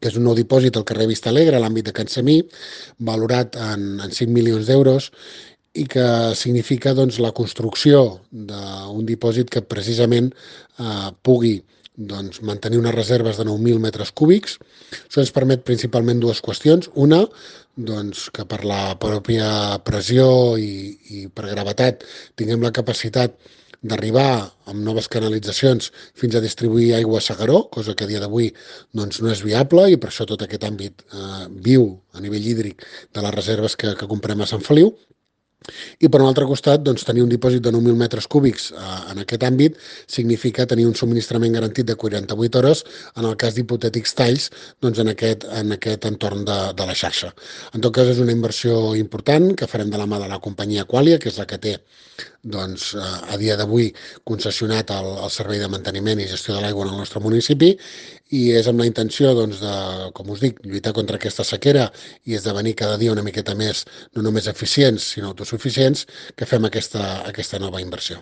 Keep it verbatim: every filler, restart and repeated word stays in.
que és un nou dipòsit al carrer Vista Alegre, a l'àmbit de Can Semí, valorat en, en cinc milions d'euros, i que significa doncs, la construcció d'un dipòsit que precisament eh, pugui doncs, mantenir unes reserves de nou mil metres cúbics. Això ens permet principalment dues qüestions. Una, doncs, que per la pròpia pressió i, i per gravetat tinguem la capacitat d'arribar amb noves canalitzacions fins a distribuir aigua a S'Agaró, cosa que a dia d'avui doncs, no és viable, i per això tot aquest àmbit eh, viu a nivell hídric de les reserves que, que comprem a Sant Feliu. I per un altre costat, doncs, tenir un dipòsit de nou mil metres cúbics eh, en aquest àmbit significa tenir un subministrament garantit de quaranta-vuit hores en el cas d'hipotètics talls doncs, en, aquest, en aquest entorn de, de la xarxa. En tot cas, és una inversió important que farem de la mà de la companyia Qualia, que és la que té doncs, a dia d'avui concessionat el, el servei de manteniment i gestió de l'aigua en el nostre municipi, i és amb la intenció doncs, de, com us dic, lluitar contra aquesta sequera i esdevenir cada dia una miqueta més, no només eficients, sinó autosuficients, que fem aquesta, aquesta nova inversió.